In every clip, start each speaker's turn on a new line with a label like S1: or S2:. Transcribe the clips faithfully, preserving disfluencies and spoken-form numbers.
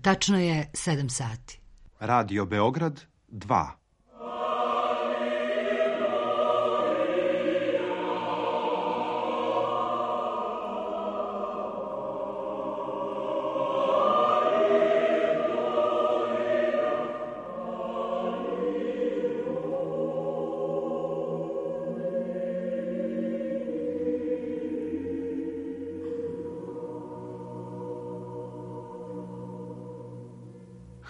S1: Tačno je sedam sati.
S2: Radio Beograd dva.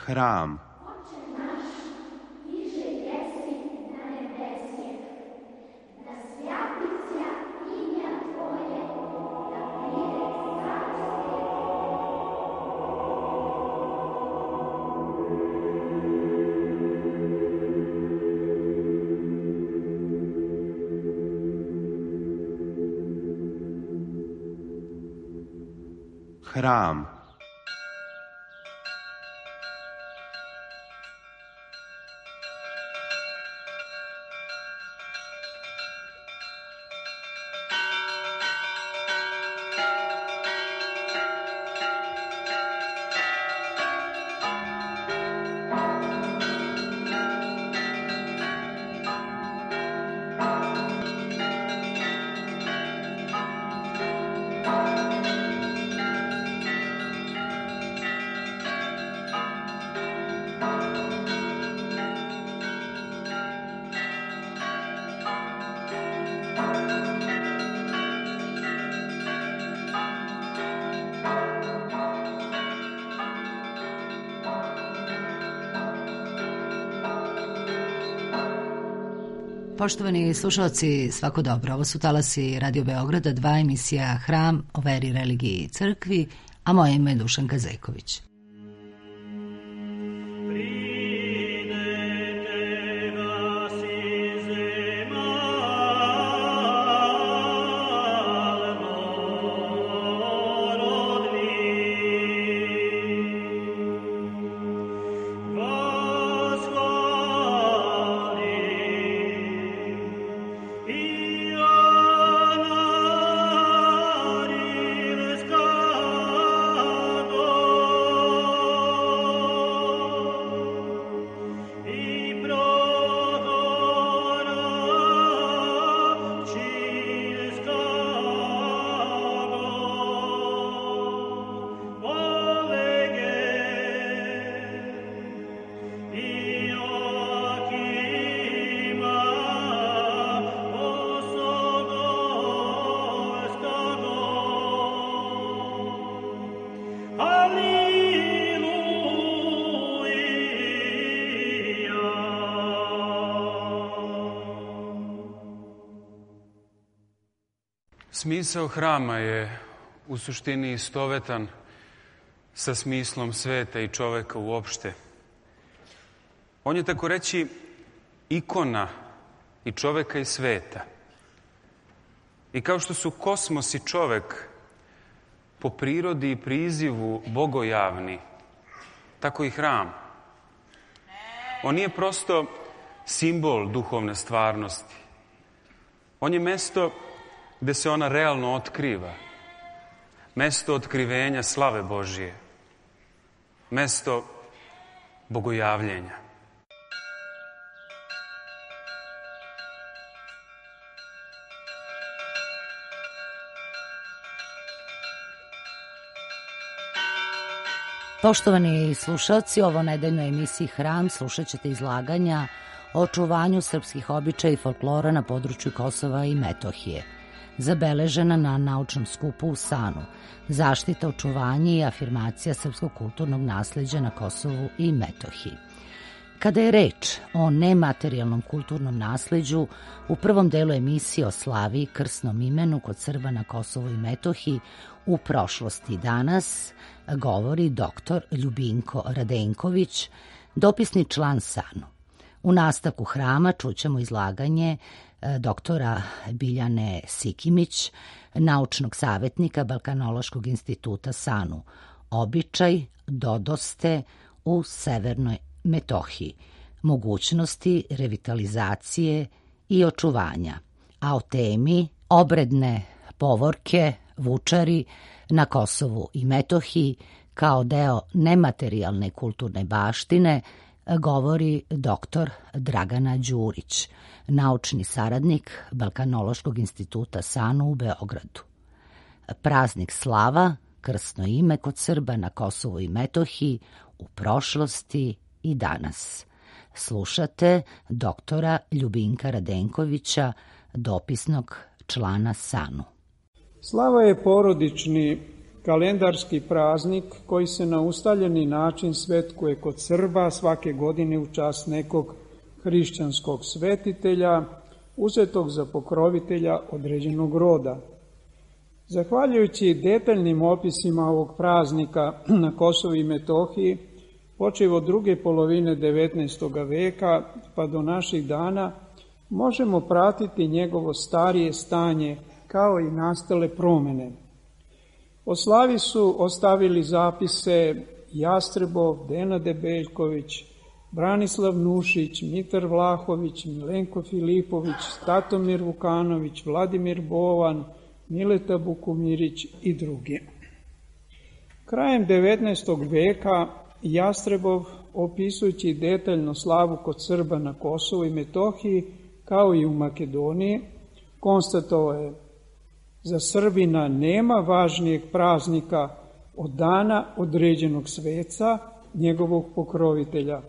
S2: Hram. Hram.
S1: Poštovani slušalci, svako dobro. Ovo su talasi Radio Beograda, dva, emisija Hram o veri, religiji i crkvi, a moje ime je Dušanka Zejković.
S3: Smisao hrama je u suštini istovetan sa smislom sveta i čoveka uopšte. On je, tako reći, ikona i čoveka i sveta. I kao što su kosmos i čovek po prirodi i prizivu bogojavni, tako i hram. On nije prosto simbol duhovne stvarnosti. On je mesto gde se ona realno otkriva. Mesto otkrivenja slave Božije. Mesto bogojavljenja.
S1: Poštovani slušalci, ovo nedeljnoj emisiji Hram slušat ćete izlaganja o očuvanju srpskih običaja i folklora na području Kosova i Metohije, zabeležena na naučnom skupu u Sanu, zaštita, očuvanje i afirmacija srpskog kulturnog nasleđa na Kosovu i Metohiji. Kada je reč o nematerijalnom kulturnom nasleđu, u prvom delu emisije o slavi i krsnom imenu kod Srba na Kosovu i Metohiji u prošlosti danas govori doktor Ljubinko Radenković, dopisni član Sanu. U nastavku Hrama čućemo izlaganje doktora Biljane Sikimić, naučnog savjetnika Balkanološkog instituta Sanu, običaj dodoste u Severnoj Metohiji, mogućnosti revitalizacije i očuvanja, a o temi obredne povorke, vučari na Kosovu i Metohiji kao deo nematerijalne kulturne baštine govori doktor Dragana Đurić, naučni saradnik Balkanološkog instituta SANU u Beogradu. Praznik slava, krsno ime kod Srba na Kosovu i Metohiji u prošlosti i danas. Slušate doktora Ljubinka Radenkovića, dopisnog člana SANU.
S4: Slava je porodični kalendarski praznik koji se na ustaljeni način svetkuje kod Srba svake godine u čast nekog hrišćanskog svetitelja, uzetog za pokrovitelja određenog roda. Zahvaljujući detaljnim opisima ovog praznika na Kosovu i Metohiji, počev od druge polovine devetnaestog veka pa do naših dana, možemo pratiti njegovo starije stanje kao i nastale promene. O slavi su ostavili zapise Jastrebov, Dena Debeljković, Branislav Nušić, Mitar Vlahović, Milenko Filipović, Statomir Vukanović, Vladimir Bovan, Mileta Bukumirić i drugi. Krajem devetnaestog veka Jastrebov, opisujući detaljno slavu kod Srba na Kosovu i Metohiji, kao i u Makedoniji, konstatovao je: za Srbina nema važnijeg praznika od dana određenog sveca, njegovog pokrovitelja.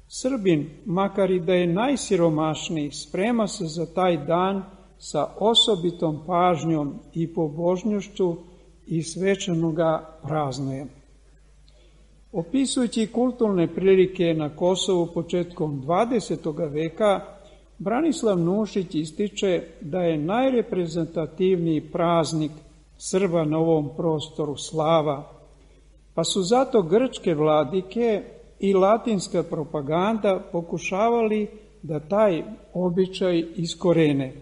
S4: Srbin, makar i da je najsiromašniji, sprema se za taj dan sa osobitom pažnjom i pobožnošću i svečano ga praznuje. Opisujući kulturne prilike na Kosovu početkom dvadesetog veka, Branislav Nušić ističe da je najreprezentativniji praznik Srba na ovom prostoru slava, pa su zato grčke vladike i latinska propaganda pokušavali da taj običaj iskorene.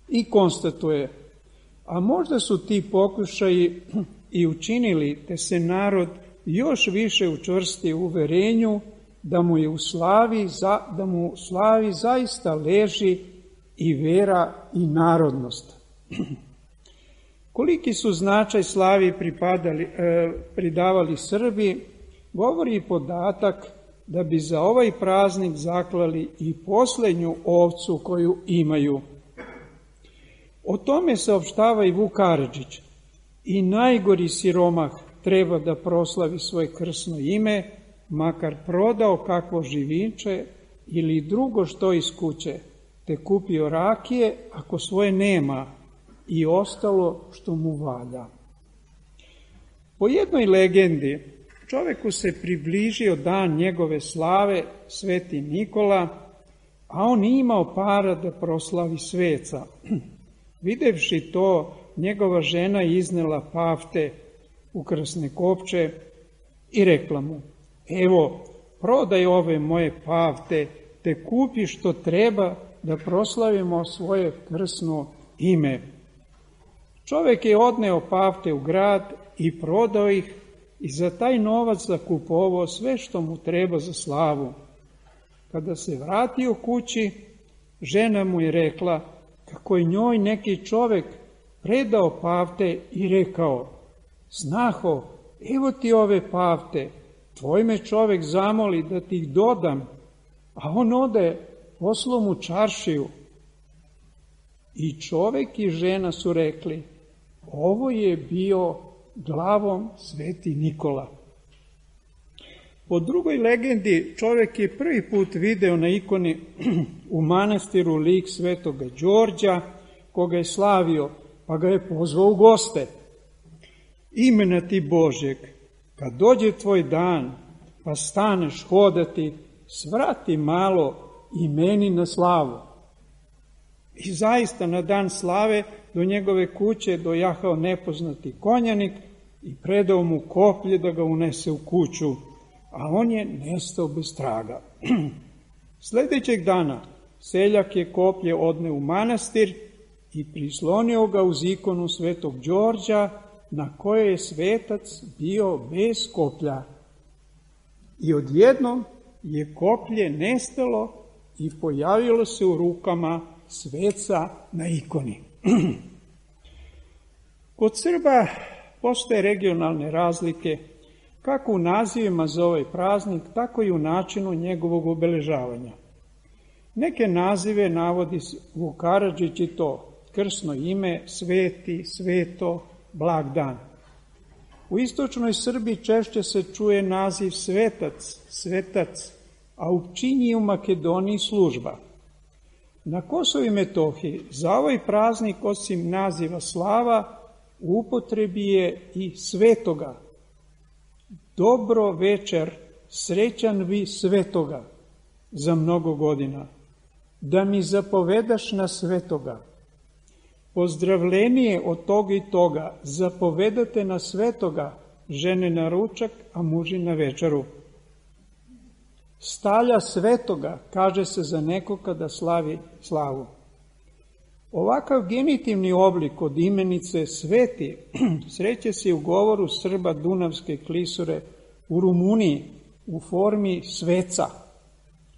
S4: I konstatuje: a možda su ti pokušaji i učinili, te se narod još više učvrsti u uverenju da mu je u slavi, da mu u slavi zaista leži i vera i narodnost. Koliki su značaj slavi pripadali, eh, pridavali Srbi, govori i podatak da bi za ovaj praznik zaklali i poslednju ovcu koju imaju. O tome saopštava i Vuk Karadžić: i najgori siromah treba da proslavi svoje krsno ime, makar prodao kakvo živinče ili drugo što iz kuće, te kupio rakije ako svoje nema i ostalo što mu valja. Po jednoj legendi, čoveku se približio dan njegove slave, Sveti Nikola, a on nije imao para da proslavi sveca. Videvši to, njegova žena iznela pafte u krasne kopče i rekla mu: evo, prodaj ove moje pafte, te kupi što treba da proslavimo svoje krsno ime. Čovek je odneo pafte u grad i prodao ih i za taj novac zakupovao sve što mu treba za slavu. Kada se vratio kući, žena mu je rekla kako je njoj neki čovek predao pafte i rekao: snaho, evo ti ove pafte, tvoj me čovek zamoli da ti ih dodam, a on ode, poslao mu čaršiju. I čovek i žena su rekli: ovo je bio glavom Sveti Nikola. Po drugoj legendi, čovek je prvi put video na ikoni u manastiru lik Svetoga Đorđa, koga je slavio, pa ga je pozvao u goste. Imena ti Božjeg, kad dođe tvoj dan, pa staneš hodati, svrati malo i meni na slavu. I zaista na dan slave do njegove kuće dojahao nepoznati konjanik i predao mu koplje da ga unese u kuću, a on je nestao bez traga. Sledećeg dana seljak je koplje odneo u manastir i prislonio ga uz ikonu Svetog Đorđa, na kojoj je svetac bio bez koplja. I odjednom je koplje nestalo i pojavilo se u rukama sveca na ikoni. Kod Srba postoje regionalne razlike kako u nazivima za ovaj praznik, tako i u načinu njegovog obeležavanja. Neke nazive navodi Vuk Karadžić i to krsno ime, sveti, sveto, blag dan. U istočnoj Srbiji češće se čuje naziv svetac, svetac, a u Pčinji i u Makedoniji služba. Na Kosovu i Metohiji za ovaj praznik osim naziva slava u upotrebi je i svetoga. Dobro večer, srećan vi svetoga za mnogo godina, da mi zapovedaš na svetoga. Pozdravljenije od toga i toga, zapovedate na svetoga, žene na ručak, a muži na večeru. Stalja svetoga, kaže se za neko kada slavi slavu. Ovakav genitivni oblik od imenice sveti sreće se u govoru Srba Dunavske klisure u Rumuniji u formi sveca.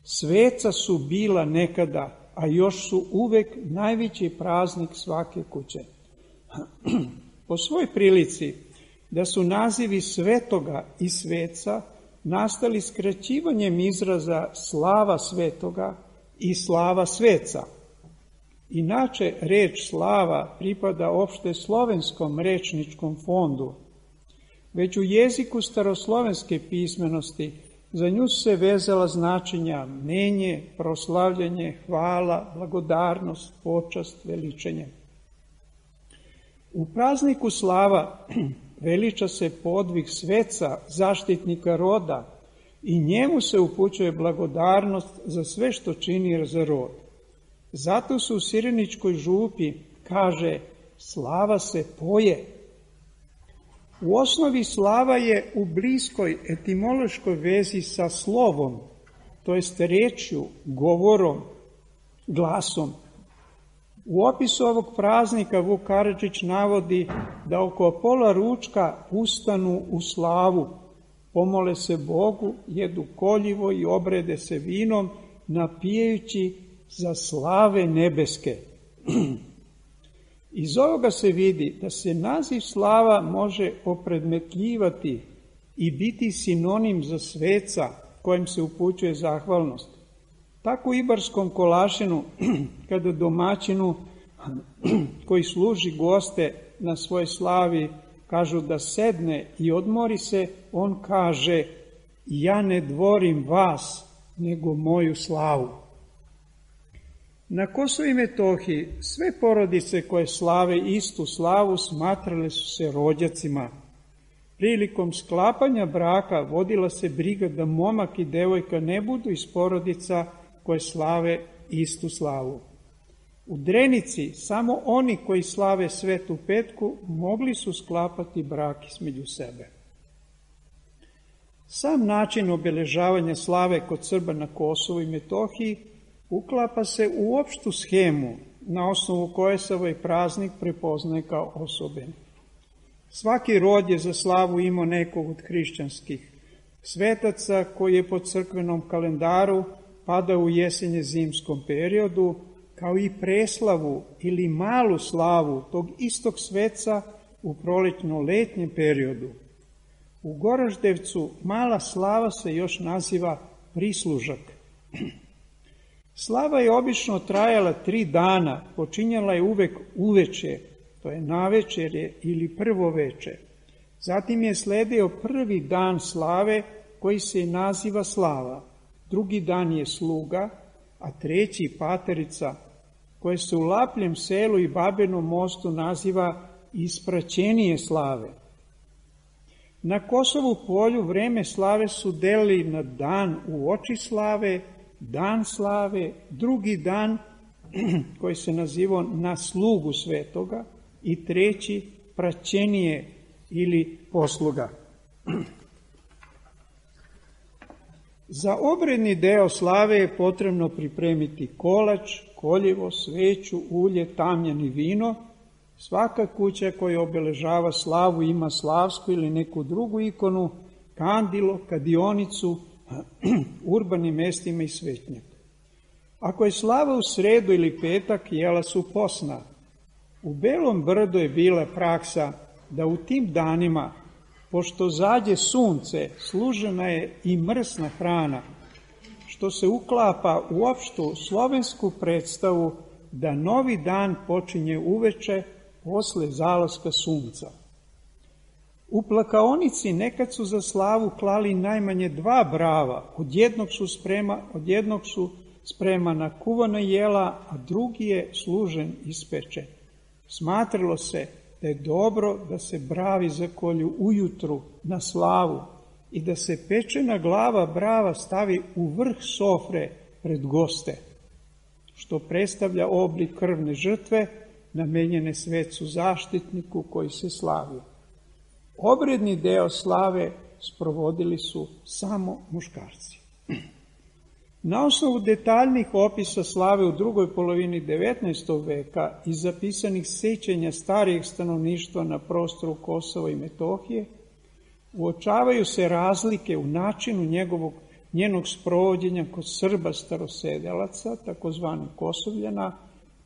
S4: Sveca su bila nekada, a još su uvek najveći praznik svake kuće. Po svoj prilici da su nazivi svetoga i sveca nastali skraćivanjem izraza slava svetoga i slava sveca. Inače, reč slava pripada opšte slovenskom rečničkom fondu. Već u jeziku staroslovenske pismenosti za nju se vezala značenja mnenje, proslavljanje, hvala, blagodarnost, počast, veličanje. U prazniku slava veliča se podvig sveca, zaštitnika roda, i njemu se upućuje blagodarnost za sve što čini za rod. Zato se u Sireničkoj župi kaže slava se poje. U osnovi slava je u bliskoj etimološkoj vezi sa slovom, to jest rečju, govorom, glasom. U opisu ovog praznika Vuk Karadžić navodi da oko pola ručka ustanu u slavu, pomole se Bogu, jedu koljivo i obrede se vinom, napijajući za slave nebeske. Iz ovoga se vidi da se naziv slava može opredmetljivati i biti sinonim za sveca kojem se upućuje zahvalnost. Tako u Ibarskom Kolašinu, kada domaćinu koji služi goste na svojoj slavi kažu da sedne i odmori se, on kaže: ja ne dvorim vas, nego moju slavu. Na Kosovu i Metohiji sve porodice koje slave istu slavu smatrale su se rođacima. Prilikom sklapanja braka vodila se briga da momak i devojka ne budu iz porodica koje slave istu slavu. U Drenici samo oni koji slave Svetu Petku mogli su sklapati brak između sebe. Sam način obeležavanja slave kod Srba na Kosovu i Metohiji uklapa se u opštu schemu na osnovu koje se ovaj praznik prepoznaje kao osoben. Svaki rod je za slavu imao nekog od hrišćanskih svetaca koji je po crkvenom kalendaru padao u jesenje zimskom periodu, kao i preslavu ili malu slavu tog istog sveca u prolećno-letnjem periodu. U Goraždevcu mala slava se još naziva prislužak. Slava je obično trajala tri dana, počinjala je uvek uveče, to je navečerje ili prvo veče. Zatim je sledio prvi dan slave koji se naziva slava, drugi dan je sluga, a treći paterica, koje se u Lapljem selu i Babenom mostu naziva ispraćenije slave. Na Kosovu polju vreme slave su delili na dan u oči slave, dan slave, drugi dan koji se nazivao na slugu svetoga i treći praćenije ili posluga. Za obredni deo slave je potrebno pripremiti kolač, koljevo, sveću, ulje, tamjan i vino. Svaka kuća koja obeležava slavu ima slavsku ili neku drugu ikonu, kandilo, kadionicu, urbanim mestima i svećnjak. Ako je slava u sredu ili petak, jela su posna. U Belom Brdu je bila praksa da u tim danima Pošto zađe sunce, služena je i mrsna hrana, što se uklapa u opštu slovensku predstavu da novi dan počinje uveče posle zalaska sunca. U plakaonici nekad su za slavu klali najmanje dva brava, od jednog su, sprema, od jednog su spremana kuvana jela, a drugi je služen ispečen. Smatralo se da je dobro da se bravi zakolju ujutru na slavu i da se pečena glava brava stavi u vrh sofre pred goste, što predstavlja oblik krvne žrtve namenjene svecu zaštitniku koji se slavio. Obredni deo slave sprovodili su samo muškarci. Na osnovu detaljnih opisa slave u drugoj polovini devetnaestog veka i zapisanih sećanja starijeg stanovništva na prostoru Kosova i Metohije, uočavaju se razlike u načinu njegovog, njenog sprovođenja kod Srba starosedelaca, takozvanih Kosovljana,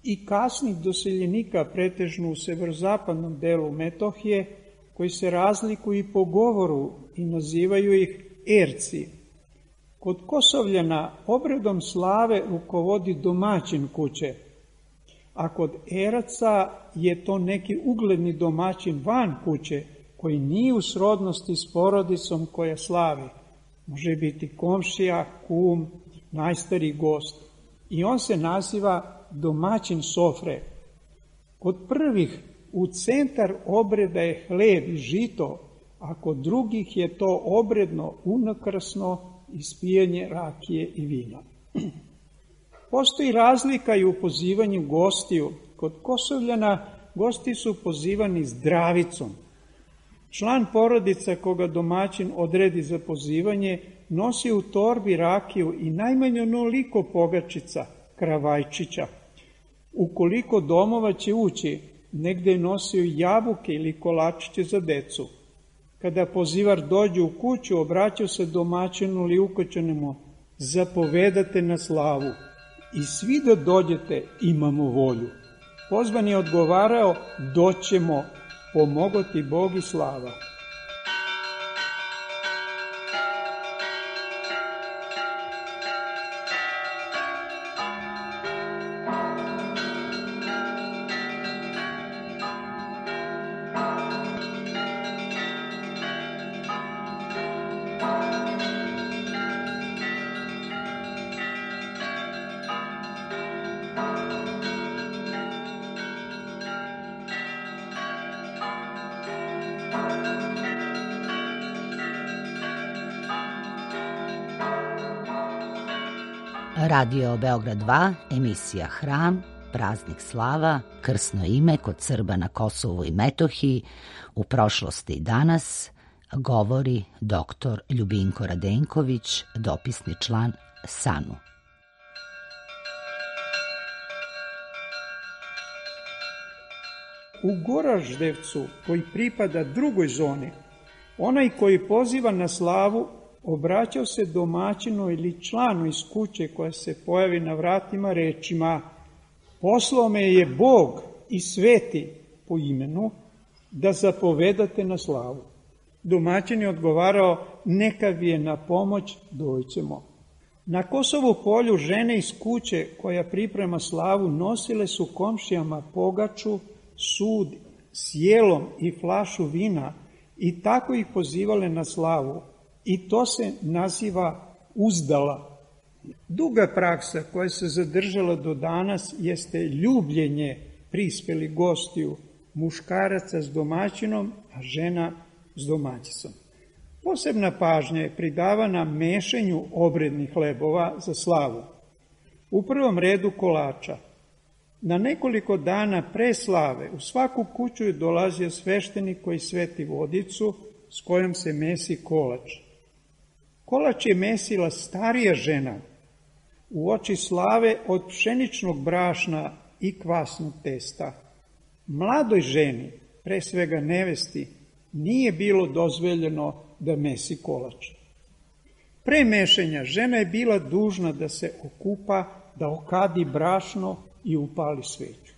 S4: i kasnih doseljenika pretežno u severozapadnom delu Metohije, koji se razlikuju i po govoru i nazivaju ih erci. Kod Kosovljana obredom slave rukovodi domaćin kuće, a kod eraca je to neki ugledni domaćin van kuće, koji nije u srodnosti s porodicom koja slavi. Može biti komšija, kum, najstariji gost. I on se naziva domaćin sofre. Kod prvih u centar obreda je hleb i žito, a kod drugih je to obredno unakrsno ispijanje rakije i vina. Postoji razlika i u pozivanju gostiju. Kod Kosovljana gosti su pozivani zdravicom. Član porodica koga domaćin odredi za pozivanje nosi u torbi rakiju i najmanje onoliko pogačica, kravajčića. Ukoliko domova će ući, negde je nosio jabuke ili kolačiće za decu. Kada pozivar dođe u kuću, obraćao se domaćinu ili ukoćenemu: zapovedate na slavu i svi da dođete, imamo volju. Pozvan je odgovarao: doćemo, pomogo ti Bog i slava.
S1: Radio Beograd dva, emisija Hram, praznik slava, krsno ime kod Srba na Kosovu i Metohiji, u prošlosti i danas, govori doktor Ljubinko Radenković, dopisni član S A N U.
S4: U Goraždevcu, koji pripada drugoj zoni, onaj koji poziva na slavu obraćao se domaćinu ili članu iz kuće koja se pojavi na vratima rečima: poslao me je Bog i sveti po imenu da zapovedate na slavu. Domaćin je odgovarao: neka vi je na pomoć, dođemo. Na Kosovu polju žene iz kuće koja priprema slavu nosile su komšijama pogaču, sud s jelom i flašu vina i tako ih pozivale na slavu. I to se naziva uzdala. Duga praksa koja se zadržala do danas jeste ljubljenje prispelih gostiju, muškaraca s domaćinom, a žena s domaćicom. Posebna pažnja je pridavana mešenju obrednih hlebova za slavu. U prvom redu kolača. Na nekoliko dana pre slave u svaku kuću je dolazio sveštenik koji sveti vodicu s kojom se mesi kolač. Kolač je mesila starija žena u oči slave od pšeničnog brašna i kvasnog testa. Mladoj ženi, pre svega nevesti, nije bilo dozvoljeno da mesi kolač. Pre mešanja žena je bila dužna da se okupa, da okadi brašno i upali sveću.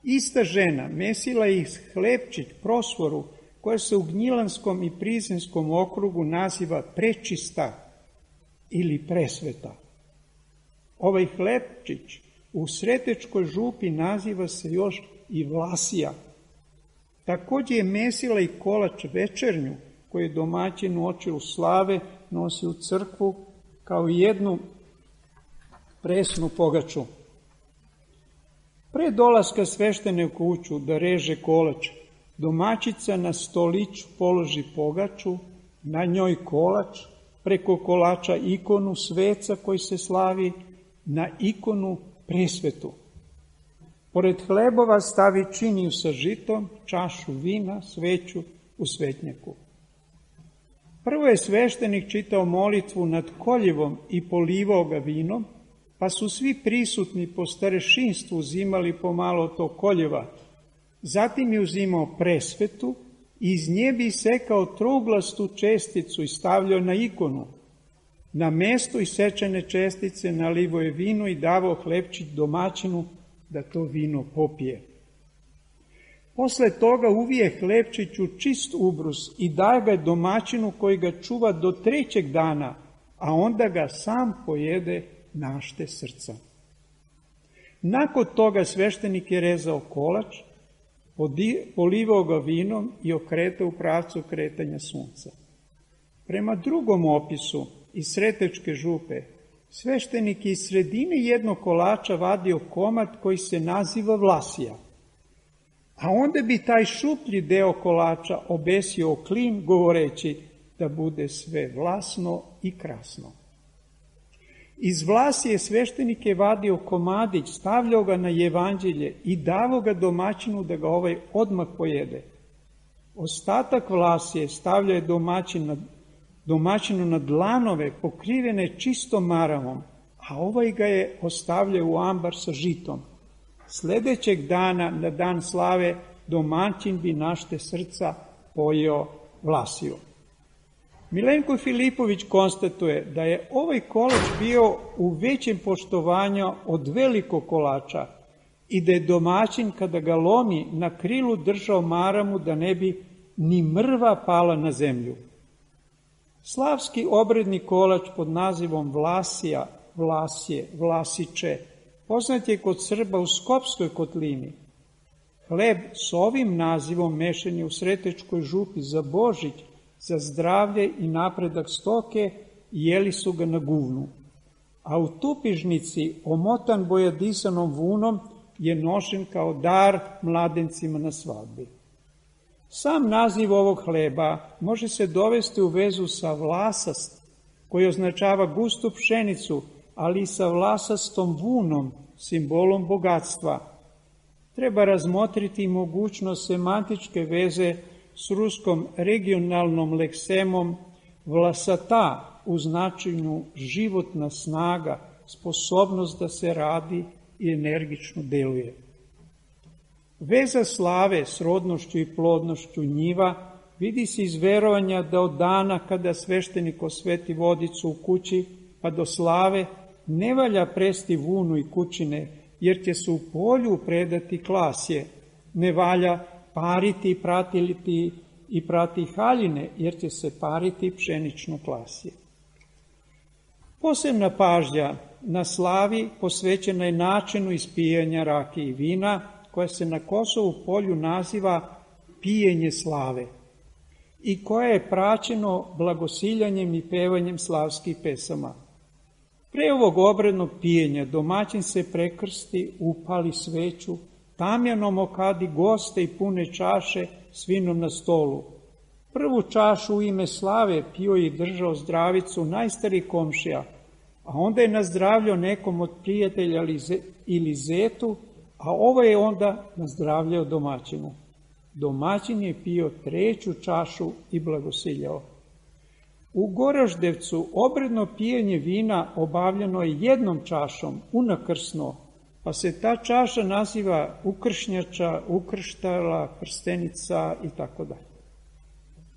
S4: Ista žena mesila ih hlebčić prosvoru koja se u Gnjilanskom i Prizrenskom okrugu naziva prečista ili presveta. Ovaj hlebčić u Sretečkoj župi naziva se još i Vlasija. Također je mesila i kolač večernju, koju je domaćin u očilu slave nosi u crkvu kao jednu presnu pogaču. Pre dolaska sveštene u kuću da reže kolač, domaćica na stoliću položi pogaču, na njoj kolač, preko kolača ikonu sveca koji se slavi, na ikonu presvetu. Pored hlebova stavi činiju sa žitom, čašu vina, sveću u svetnjaku. Prvo je sveštenik čitao molitvu nad koljevom i polivao ga vinom, pa su svi prisutni po starešinstvu uzimali pomalo to koljeva. Zatim je uzimao presvetu i iz nje bi sekao trouglastu česticu i stavljao na ikonu. Na mesto isečene čestice nalivo je vino i davao hlebčić domaćinu da to vino popije. Posle toga uvije hlebčić u čist ubrus i daje ga domaćinu koji ga čuva do trećeg dana, a onda ga sam pojede našte srca. Nakon toga sveštenik je rezao kolač, polivao ga vinom i okretao u pravcu kretanja sunca. Prema drugom opisu iz Sretečke župe, sveštenik je iz sredine jednog kolača vadio komad koji se naziva Vlasija, a onda bi taj šuplji deo kolača obesio o klin, govoreći da bude sve vlasno i krasno. Iz Vlasije sveštenik je vadio komadić, stavljao ga na evanđelje i davao ga domaćinu da ga ovaj odmah pojede. Ostatak Vlasije stavljao je domaćin na, domaćinu na dlanove pokrivene čistom maravom, a ovaj ga je ostavljao u ambar sa žitom. Sledećeg dana, na dan slave, domaćin bi našte srca pojeo Vlasiju. Milenko Filipović konstatuje da je ovaj kolač bio u većem poštovanju od velikog kolača i da je domaćin kada ga lomi na krilu držao maramu da ne bi ni mrva pala na zemlju. Slavski obredni kolač pod nazivom Vlasija, Vlasje, Vlasiče poznat je kod Srba u Skopskoj kotlini. Hleb s ovim nazivom mešan je u Sretečkoj župi za Božić, za zdravlje i napredak stoke i jeli su ga na guvnu. A u Tupižnici, omotan bojadisanom vunom, je nošen kao dar mladencima na svadbi. Sam naziv ovog hleba može se dovesti u vezu sa vlasast, koji označava gustu pšenicu, ali i sa vlasastom vunom, simbolom bogatstva. Treba razmotriti mogućnost semantičke veze s ruskom regionalnom leksemom vlasata u značenju životna snaga, sposobnost da se radi i energično deluje. Veza slave s rodnošću i plodnošću njiva vidi se iz verovanja da od dana kada sveštenik osveti vodicu u kući pa do slave ne valja presti vunu i kućine, jer će se u polju predati klasje, ne valja pariti i pratiti i prati haljine, jer će se pariti pšenično klasje. Posebna pažnja na slavi posvećena je načinu ispijanja rakije i vina, koja se na Kosovu polju naziva pijenje slave i koje je praćeno blagosiljanjem i pevanjem slavskih pesama. Pre ovog obrednog pijenja domaćin se prekrsti, upali sveću, tamjanom okadi goste i pune čaše s vinom na stolu. Prvu čašu u ime slave pio i držao zdravicu najstariji komšija, a onda je nazdravljao nekom od prijatelja ili zetu, a ovo je onda nazdravljao domaćinu. Domaćin je pio treću čašu i blagosiljao. U Goraždevcu obredno pijenje vina obavljeno je jednom čašom, unakrsno, pa se ta čaša naziva ukršnjača, ukrštala, prstenica i tako dalje.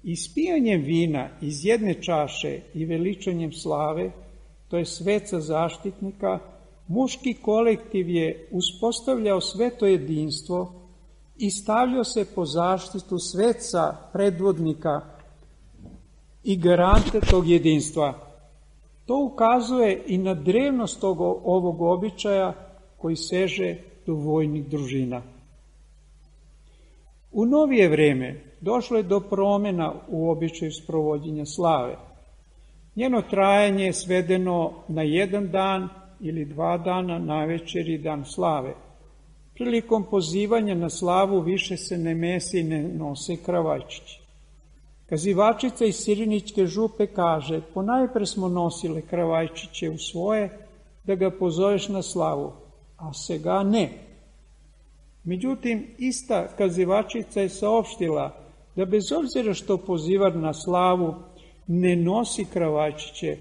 S4: Ispijanjem vina iz jedne čaše i veličanjem slave, to je sveca zaštitnika, muški kolektiv je uspostavljao sveto jedinstvo, i stavljao se po zaštitu sveca, predvodnika i garante tog jedinstva. To ukazuje i na drevnost tog, ovog običaja koji seže do vojnih družina. U novije vreme došlo je do promjena u običaju sprovođenja slave. Njeno trajanje je svedeno na jedan dan ili dva dana, navečer i dan slave. Prilikom pozivanja na slavu više se ne mese i ne nose kravajčići. Kazivačica iz Sirinićke župe kaže: ponajpre smo nosile kravajčiće u svoje da ga pozoveš na slavu, a sega ne. Međutim, ista kazivačica je saopštila da bez obzira što pozivar na slavu ne nosi kravajčiće,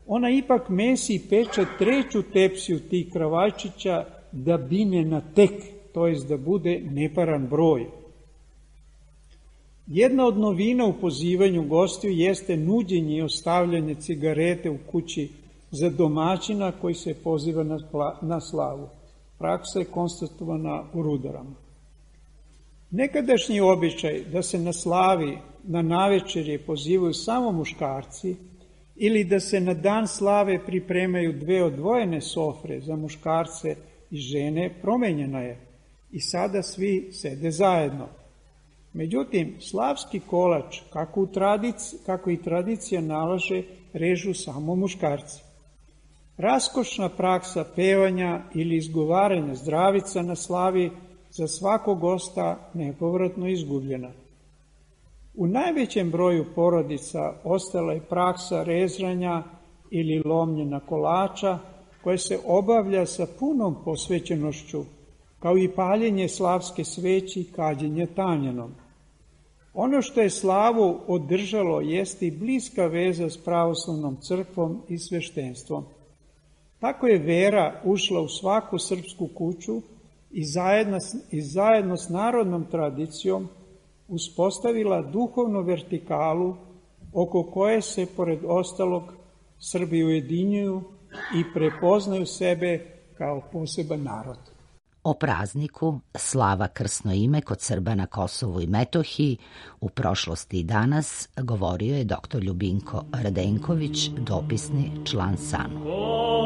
S4: ona ipak mesi i peče treću tepsiju tih kravajčića da bine na tek, to jest da bude neparan broj. Jedna od novina u pozivanju gostiju jeste nuđenje i ostavljanje cigarete u kući za domaćina koji se poziva na, na slavu. Praksa je konstatovana u Rudarama. Nekadašnji običaj da se na slavi, na navečerje pozivaju samo muškarci ili da se na dan slave pripremaju dve odvojene sofre za muškarce i žene promenjena je i sada svi sede zajedno. Međutim, slavski kolač, kako, u tradici, kako i tradicija nalaže, režu samo muškarci. Raskošna praksa pevanja ili izgovaranja zdravica na slavi za svakog gosta nepovratno izgubljena. U najvećem broju porodica ostala je praksa rezanja ili lomljenja kolača, koje se obavlja sa punom posvećenošću, kao i paljenje slavske sveći i kađenje tanjenom. Ono što je slavu održalo jeste i bliska veza s pravoslavnom crkvom i sveštenstvom. Tako je vera ušla u svaku srpsku kuću i zajedno, i zajedno s narodnom tradicijom uspostavila duhovnu vertikalu oko koje se, pored ostalog, Srbi ujedinjuju i prepoznaju sebe kao poseban narod.
S1: O prazniku Slava krsno ime kod Srba na Kosovu i Metohiji u prošlosti i danas govorio je doktor Ljubinko Radenković, dopisni član S A N U.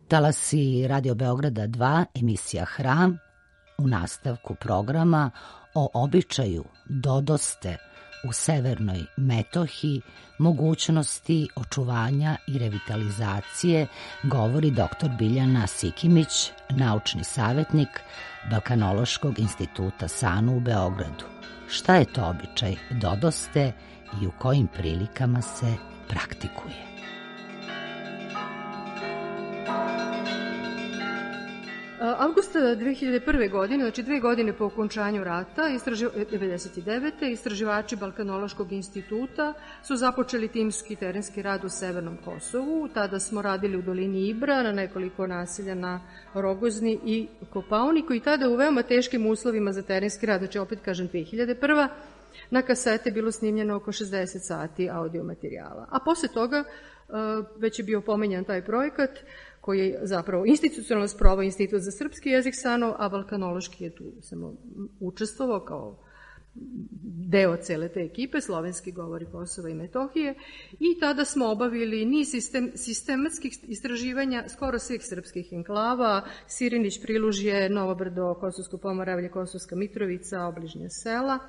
S1: Talasi Radio Beograda dva, emisija Hram, u nastavku programa o običaju dodoste u severnoj Metohiji, mogućnosti očuvanja i revitalizacije, govori doktor Biljana Sikimić, naučni savjetnik Balkanološkog instituta S A N U u Beogradu. Šta je to običaj dodoste i u kojim prilikama se praktikuje?
S5: Avgusta dve hiljade prve. godine, znači dve godine po okončanju rata, istraži... devedeset devete. istraživači Balkanološkog instituta su započeli timski terenski rad u Severnom Kosovu. Tada smo radili u dolini Ibra, na nekoliko naselja na Rogozni i Kopaoniku i tada u veoma teškim uslovima za terenski rad, znači opet kažem dve hiljade prva. na kasete bilo snimljeno oko šezdeset sati audio materijala. A posle toga već je bio pomenjan taj projekat koji je zapravo institucionalno sprovao Institut za srpski jezik S A N U, a balkanološki je tu samo učestvovao kao deo cele te ekipe, slovenski govori Kosova i Metohije, i tada smo obavili niz sistem, sistematskih istraživanja skoro svih srpskih enklava, Sirinić, Prilužje, Novo Brdo, Kosovsko Pomoravlje, Kosovska Mitrovica, obližnja sela.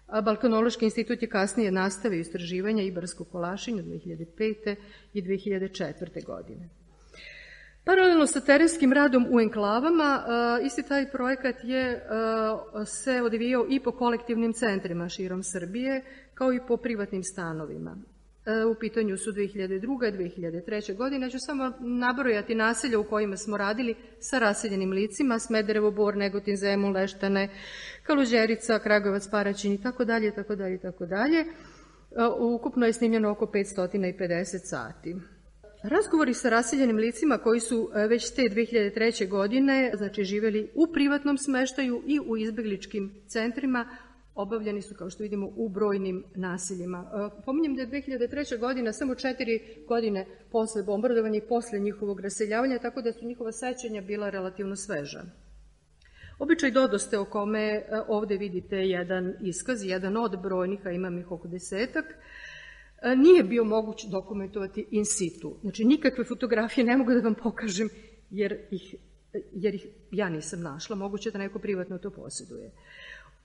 S5: A Balkanološki institut je kasnije nastavio istraživanja Ibarskog Kolašinja dve hiljade pete. i dve hiljade četvrte. godine. Paralelno sa terenskim radom u enklavama, isti taj projekat je se odvijao i po kolektivnim centrima širom Srbije, kao i po privatnim stanovima. U pitanju su dve hiljade druga. i dve hiljade treće. godine. Ja ću samo nabrojati naselja u kojima smo radili sa raseljenim licima, Smederevo, Bor, Negotin, Zemun, Leštane, Kaluđerica, Kragujevac, Paraćin i tako dalje, tako dalje, tako dalje. Ukupno je snimljeno oko petsto pedeset sati. Razgovori sa raseljenim licima koji su već te dve hiljade treće. godine, znači živjeli u privatnom smeštaju i u izbegličkim centrima, obavljeni su, kao što vidimo, u brojnim naseljima. Pominjem da je dve hiljade treća. godina samo četiri godine posle bombardovanja i posle njihovog raseljavanja, tako da su njihova sećanja bila relativno sveža. Običaj dodoste o kome ovde vidite jedan iskaz, jedan od brojnih, a imam ih oko desetak, nije bio moguće dokumentovati in situ. Znači, nikakve fotografije ne mogu da vam pokažem, jer ih, jer ih ja nisam našla. Moguće da neko privatno to posjeduje.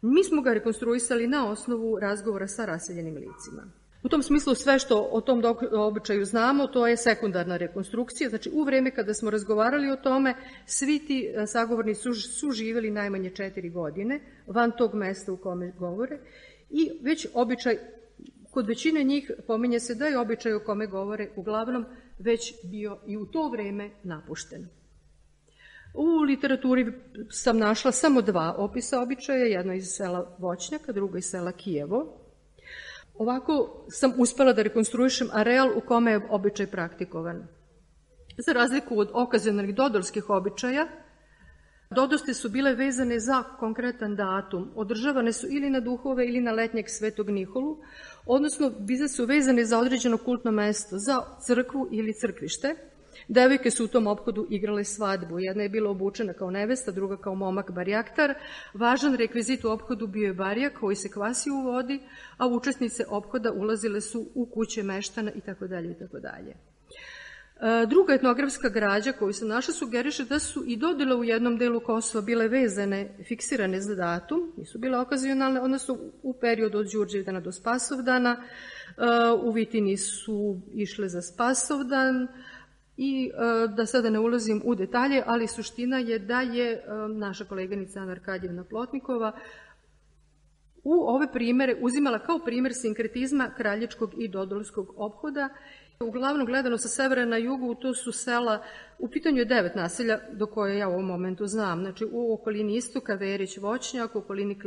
S5: Mi smo ga rekonstruisali na osnovu razgovora sa raseljenim licima. U tom smislu sve što o tom običaju znamo, to je sekundarna rekonstrukcija. Znači, u vreme kada smo razgovarali o tome, svi ti sagovornici su, su živjeli najmanje četiri godine van tog mesta u kome govore i već običaj, kod većine njih pominje se da je običaj o kome govore uglavnom već bio i u to vreme napušten. U literaturi sam našla samo dva opisa običaja, jedno iz sela Voćnjaka, drugo iz sela Kijevo. Ovako sam uspela da rekonstruišem areal u kome je običaj praktikovan. Za razliku od okazionalnih dodorskih običaja, dodoste su bile vezane za konkretan datum, održavane su ili na duhove ili na letnjeg Svetog Nikolu, odnosno bile su vezane za određeno kultno mesto, za crkvu ili crkvište. Devojke su u tom ophodu igrale svadbu. Jedna je bila obučena kao nevesta, druga kao momak barjaktar. Važan rekvizit u ophodu bio je barjak koji se kvasio u vodi, a učesnice ophoda ulazile su u kuće meštana itd. itd. Druga etnografska građa koju sam našla sugeriše da su i dodele u jednom delu Kosova bile vezane, fiksirane za datum, nisu bile okazionalne, odnosno u periodu od Đurđevdana do Spasovdana. U Vitini su išle za Spasovdan, i da sada ne ulazim u detalje, ali suština je da je naša koleganica Ana Arkadjevna Plotnikova u ove primere uzimala kao primer sinkretizma kraljičkog i dodolskog ophoda. Uglavnom gledano sa severa na jugu, to su sela, u pitanju je devet naselja do koje ja u ovom momentu znam. Znači u okolini istoka Verić, Voćnjak, u okolini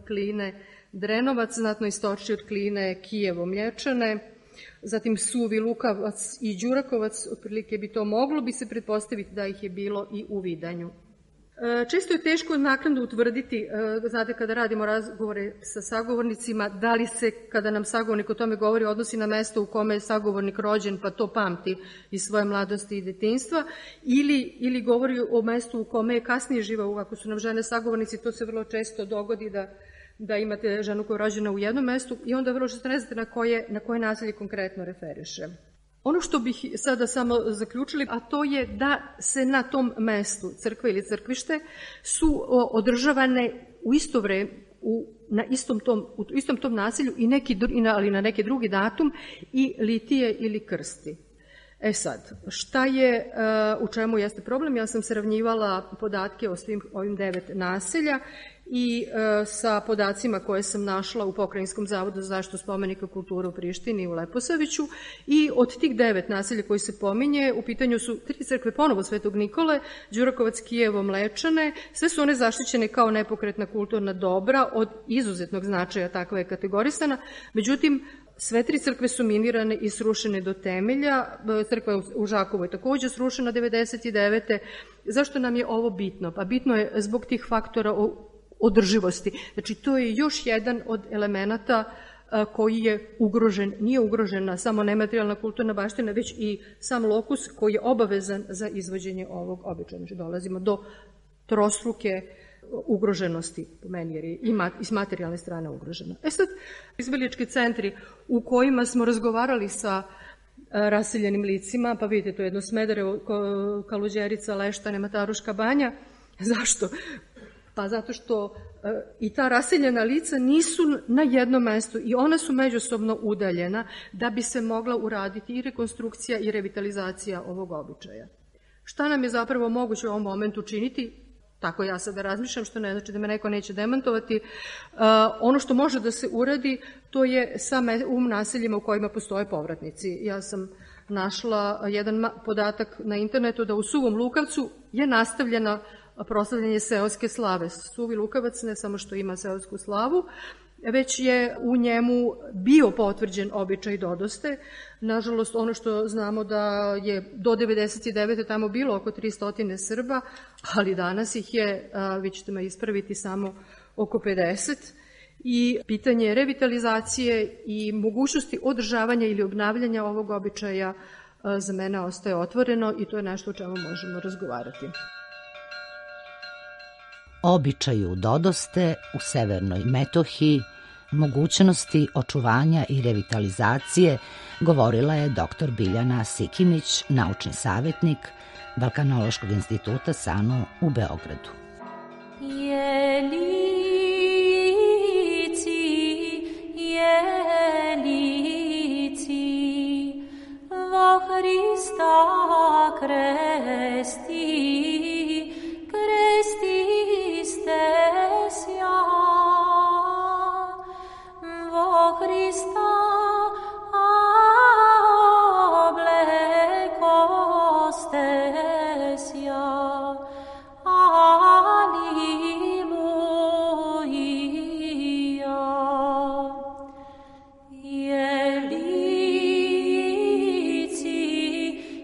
S5: Kline, Drenovac, znatno istočnije od Kline, Kijevo, Mlječane, zatim Suvi, Lukavac i Đurakovac, otprilike bi to moglo bi se pretpostaviti da ih je bilo i u Vidanju. Često je teško naknadno utvrditi, znate, kada radimo razgovore sa sagovornicima, da li se, kada nam sagovornik o tome govori, odnosi na mesto u kome je sagovornik rođen, pa to pamti iz svoje mladosti i detinjstva, ili, ili govori o mestu u kome je kasnije živao. Ako su nam žene sagovornici, to se vrlo često dogodi da da imate ženu koja je rođena u jednom mestu i onda vrlo često ne znate na koje, na koje naselje konkretno referiše. Ono što bih sada samo zaključili, a to je da se na tom mestu, crkva ili crkvište, su održavane u isto vreme, u na istom tom, u istom tom naselju, i neki, ali na neki drugi datum, i litije ili krsti. E sad, šta je, u čemu jeste problem? Ja sam sravnjivala podatke o svim ovim devet naselja i sa podacima koje sam našla u Pokrajinskom zavodu za zaštitu spomenika kulture u Prištini i u Leposaviću, i od tih devet naselja koji se pominje, u pitanju su tri crkve ponovo Svetog Nikole, Đurakovac, Kijevo, Mlečane, sve su one zaštićene kao nepokretna kulturna dobra, od izuzetnog značaja takva je kategorisana, međutim, sve tri crkve su minirane i srušene do temelja, crkva u Žakovu je takođe srušena devedeset devete. Zašto nam je ovo bitno? Pa bitno je zbog tih faktora održivosti. Znači, to je još jedan od elemenata koji je ugrožen, nije ugrožena samo nematerijalna kulturna baština, već i sam lokus koji je obavezan za izvođenje ovog običaja. Znači, dolazimo do trostruke ugroženosti, po meni, jer je i s materijalne strane ugrožena. E sad, izbelički centri u kojima smo razgovarali sa raseljenim licima, pa vidite, to je jedno Smederevo, Kaluđerica, Leštane, Mataruška banja. Zašto? Pa zato što i ta raseljena lica nisu na jednom mestu i ona su međusobno udaljena da bi se mogla uraditi i rekonstrukcija i revitalizacija ovog običaja. Šta nam je zapravo moguće u ovom momentu činiti? Tako ja sada razmišljam, što ne znači da me neko neće demantovati. Ono što može da se uradi, to je u naseljima u kojima postoje povratnici. Ja sam našla jedan podatak na internetu da u Suvom Lukavcu je nastavljena proslavljanje seoske slave. Suvi Lukavac ne samo što ima seosku slavu, već je u njemu bio potvrđen običaj dodoste. Nažalost, ono što znamo da je do devedeset devete tamo bilo oko tristo Srba, ali danas ih je, vi ćete me ispraviti, samo oko pedeset. I pitanje revitalizacije i mogućnosti održavanja ili obnavljanja ovog običaja za mene ostaje otvoreno i to je nešto o čemu možemo razgovarati.
S1: Običaju dodoste u Severnoj Metohiji, mogućnosti očuvanja i revitalizacije, govorila je doktor Biljana Sikimić, naučni savjetnik Balkanološkog instituta S A N U u Beogradu.
S6: Jelici, jelici, vo Hrista kresti, kresti stesja, vo Hrista obleko stesja, aliluja. Jelici,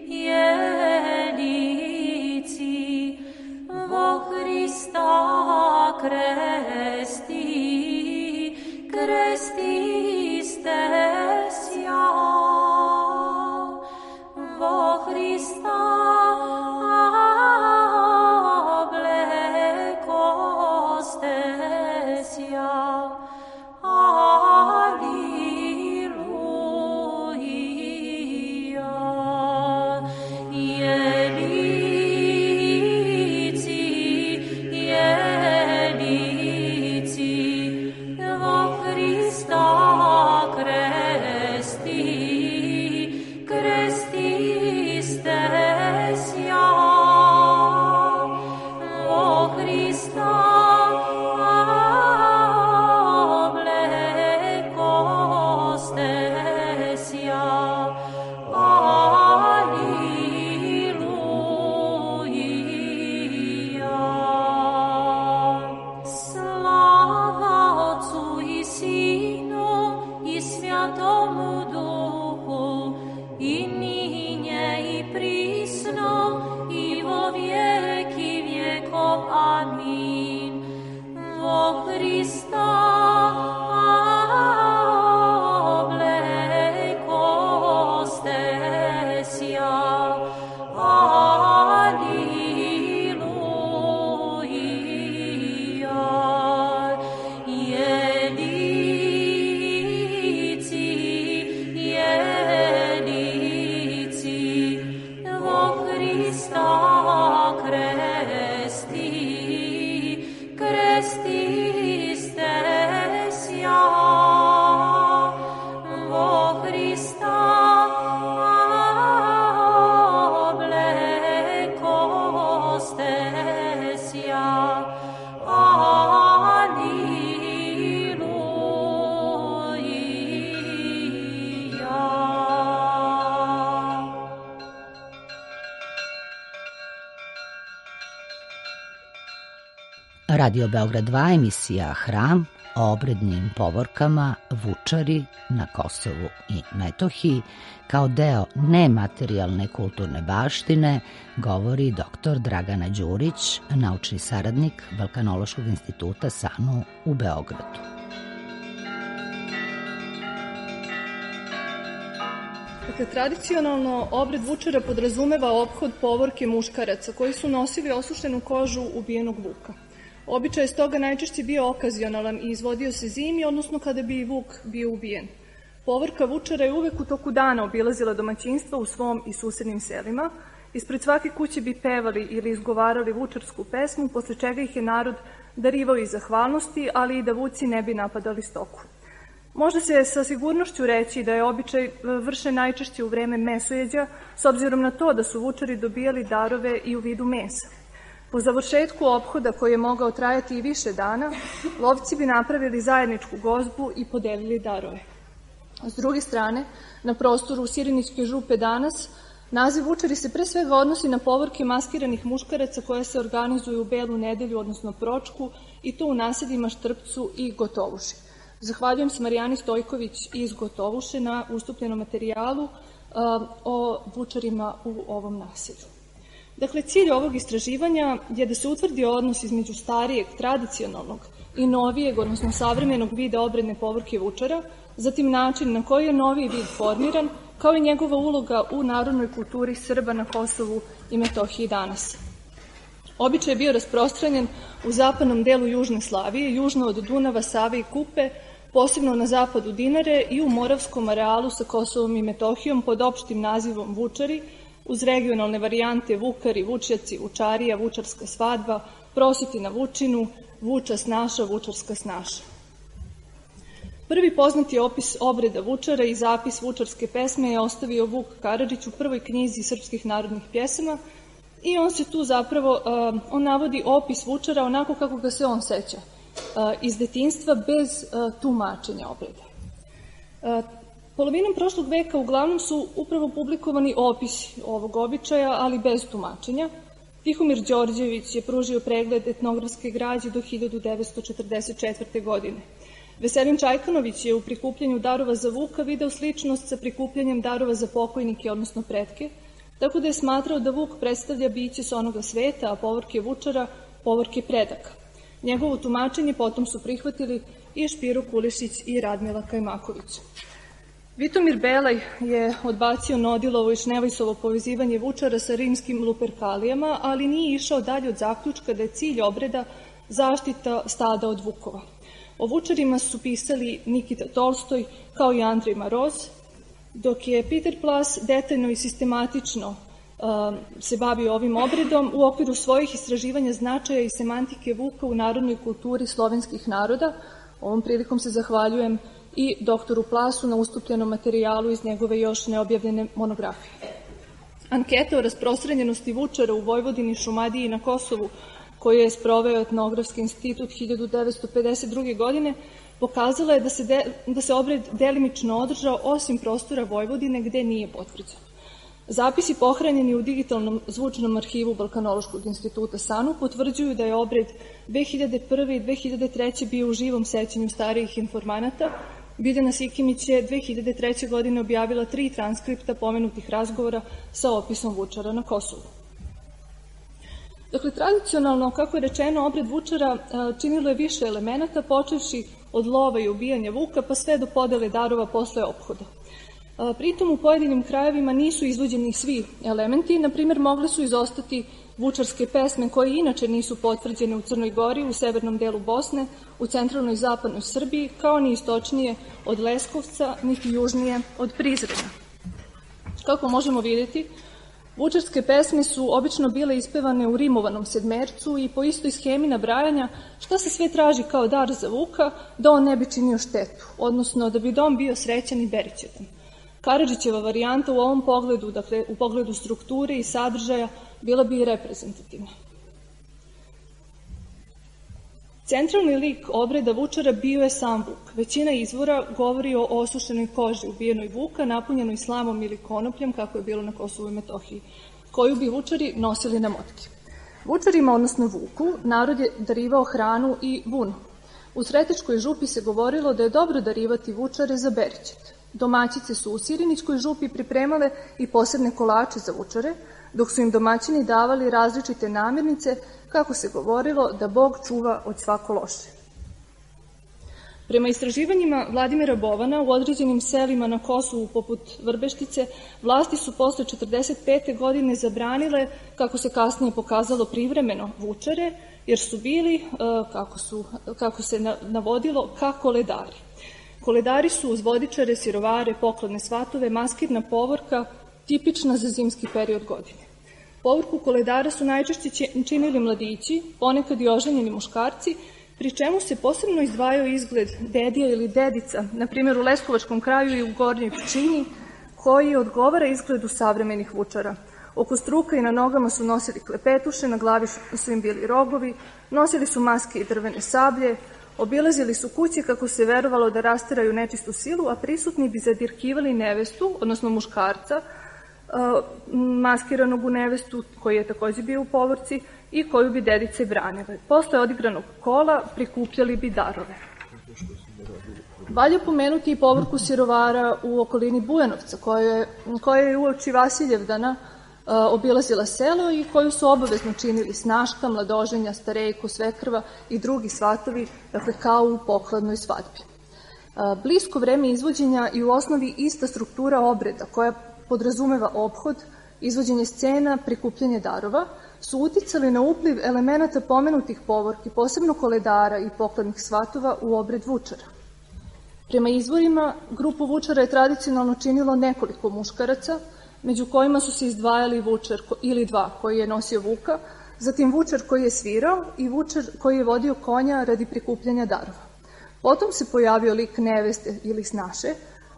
S6: jelici,
S1: Radio Beograd dva, emisija Hram, o obrednim povorkama Vučari na Kosovu i Metohiji kao deo nematerijalne kulturne baštine govori doktor Dragana Đurić, naučni saradnik Balkanološkog instituta SANU u Beogradu.
S7: Dakle, tradicionalno obred Vučara podrazumeva ophod povorke muškaraca koji su nosili osušenu kožu ubijenog vuka. Običaj je stoga najčešće bio okazionalan i izvodio se zimi, odnosno kada bi vuk bio ubijen. Povorka Vučara je uvek u toku dana obilazila domaćinstva u svom i susednim selima. Ispred svake kuće bi pevali ili izgovarali vučarsku pesmu, posle čega ih je narod darivao iz zahvalnosti, ali i da vuci ne bi napadali stoku. Može se sa sigurnošću reći da je običaj vršen najčešće u vreme mesojeđa, s obzirom na to da su Vučari dobijali darove i u vidu mesa. Po završetku ophoda, koji je mogao trajati i više dana, lovci bi napravili zajedničku gozbu i podelili darove. S druge strane, na prostoru Sirinićke župe danas, naziv Vučari se pre svega odnosi na povorke maskiranih muškaraca koje se organizuju u Belu nedelju, odnosno Pročku, i to u naseljima Štrpcu i Gotovuši. Zahvaljujem se Marijani Stojković iz Gotovuše na ustupljenom materijalu o Vučarima u ovom naselju. Dakle, cilj ovog istraživanja je da se utvrdi odnos između starijeg, tradicionalnog i novijeg, odnosno savremenog vida obredne povorke Vučara, zatim način na koji je noviji vid formiran, kao i njegova uloga u narodnoj kulturi Srba na Kosovu i Metohiji danas. Običaj je bio rasprostranjen u zapadnom delu Južne Slavije, južno od Dunava, Save i Kupe, posebno na zapadu Dinare i u Moravskom arealu sa Kosovom i Metohijom pod opštim nazivom Vučari, uz regionalne varijante Vukari, Vučjaci, Vučarija, Vučarska svadba, Prositi na Vučinu, Vuča snaša, Vučarska snaša. Prvi poznati opis obreda Vučara i zapis vučarske pesme je ostavio Vuk Karadžić u prvoj knjizi srpskih narodnih pjesama i on se tu zapravo, on navodi opis Vučara onako kako ga se on seća, iz detinjstva bez tumačenja obreda. Polovinom prošlog veka uglavnom su upravo publikovani opisi ovog običaja, ali bez tumačenja. Tihomir Đorđević je pružio pregled etnografske građe do hiljadu devetsto četrdeset četvrte. godine. Veselin Čajkanović je u prikupljanju darova za Vuka video sličnost sa prikupljanjem darova za pokojnike, odnosno pretke, tako da je smatrao da Vuk predstavlja biće s onoga sveta, a povorke Vučara povorke predaka. Njegovo tumačenje potom su prihvatili i Špiro Kulišić i Radmila Kajmaković. Vitomir Belaj je odbacio Nodilovo i Šnevajsovo povezivanje Vučara sa rimskim luperkalijama, ali nije išao dalje od zaključka da je cilj obreda zaštita stada od vukova. O Vučarima su pisali Nikita Tolstoj kao i Andrej Maroz, dok je Peter Plas detaljno i sistematično uh, se bavio ovim obredom u okviru svojih istraživanja značaja i semantike vuka u narodnoj kulturi slovenskih naroda. Ovom prilikom se zahvaljujem i doktoru Plasu na ustupljenom materijalu iz njegove još neobjavljene monografije. Anketa o rasprostranjenosti Vučara u Vojvodini, Šumadiji i na Kosovu, koju je sproveo Etnografski institut hiljadu devetsto pedeset druge. godine, pokazala je da se, de, da se obred delimično održao osim prostora Vojvodine gde nije potvrđen. Zapisi pohranjeni u digitalnom zvučnom arhivu Balkanološkog instituta SANU potvrđuju da je obred dve hiljade prve. i dve hiljade treće. bio u živom sećanju starijih informanata. Biljana Sikimić je dve hiljade treće. godine objavila tri transkripta pomenutih razgovora sa opisom Vučara na Kosovu. Dakle, tradicionalno, kako je rečeno, obred Vučara činilo je više elemenata, počevši od lova i ubijanja vuka, pa sve do podele darova posle ophoda. Pritom u pojedinim krajevima nisu izvođeni svi elementi, na primjer mogle su izostati vučarske pesme koje inače nisu potvrđene u Crnoj Gori, u severnom delu Bosne, u centralnoj i zapadnoj Srbiji, kao ni istočnije od Leskovca, niti južnije od Prizrena. Kako možemo vidjeti, vučarske pesme su obično bile ispevane u rimovanom sedmercu i po istoj schemi nabrajanja šta se sve traži kao dar za vuka da on ne bi činio štetu, odnosno da bi dom bio srećan i berićetan. Karadžićeva varijanta u ovom pogledu, dakle u pogledu strukture i sadržaja, bila bi i reprezentativna. Centralni lik obreda Vučara bio je sam Vuk. Većina izvora govori o osušenoj koži ubijenoj Vuka, napunjenoj slamom ili konopljem, kako je bilo na Kosovu i Metohiji, koju bi Vučari nosili na motki. Vučarima, odnosno Vuku, narod je darivao hranu i vunu. U Sretičkoj župi se govorilo da je dobro darivati Vučare za Berićet. Domaćice su u Sirinićkoj župi pripremale i posebne kolače za Vučare, dok su im domaćini davali različite namirnice, kako se govorilo da Bog čuva od svako loše. Prema istraživanjima Vladimira Bovana, u određenim selima na Kosovu poput Vrbeštice, vlasti su posle četrdeset pete godine zabranile, kako se kasnije pokazalo privremeno, Vučare, jer su bili, kako, su, kako se navodilo, ka koledari. Koledari su uz vodičare, sirovare, pokladne svatove, maskirna povorka, tipična za zimski period godine. Povorku koledara su najčešće činili mladići, ponekad i oženjeni muškarci, pri čemu se posebno izdvajao izgled dedija ili dedica, na primjer u Leskovačkom kraju i u Gornjoj Pčinji, koji odgovara izgledu savremenih Vučara. Oko struka i na nogama su nosili klepetuše, na glavi su im bili rogovi, nosili su maske i drvene sablje, obilazili su kuće kako se verovalo da rasteraju nečistu silu, a prisutni bi zadirkivali nevestu, odnosno muškarca, maskiranog u nevestu, koji je takođe bio u povorci i koju bi dedice branile. Posle odigranog kola prikupljali bi darove. Valja pomenuti i povorku sirovara u okolini Bujanovca, koja je uoči Vasiljevdana obilazila selo i koju su obavezno činili snaška, mladoženja, starejko, svekrva i drugi svatovi, dakle kao u pokladnoj svadbi. Blisko vreme izvođenja i u osnovi ista struktura obreda koja podrazumeva ophod, izvođenje scena, prikupljanje darova, su uticali na upliv elemenata pomenutih povorki, posebno koledara i pokladnih svatova u obred Vučara. Prema izvorima, grupu Vučara je tradicionalno činilo nekoliko muškaraca, među kojima su se izdvajali Vučar ili dva koji je nosio Vuka, zatim Vučar koji je svirao i Vučar koji je vodio konja radi prikupljanja darova. Potom se pojavio lik neveste ili snaše,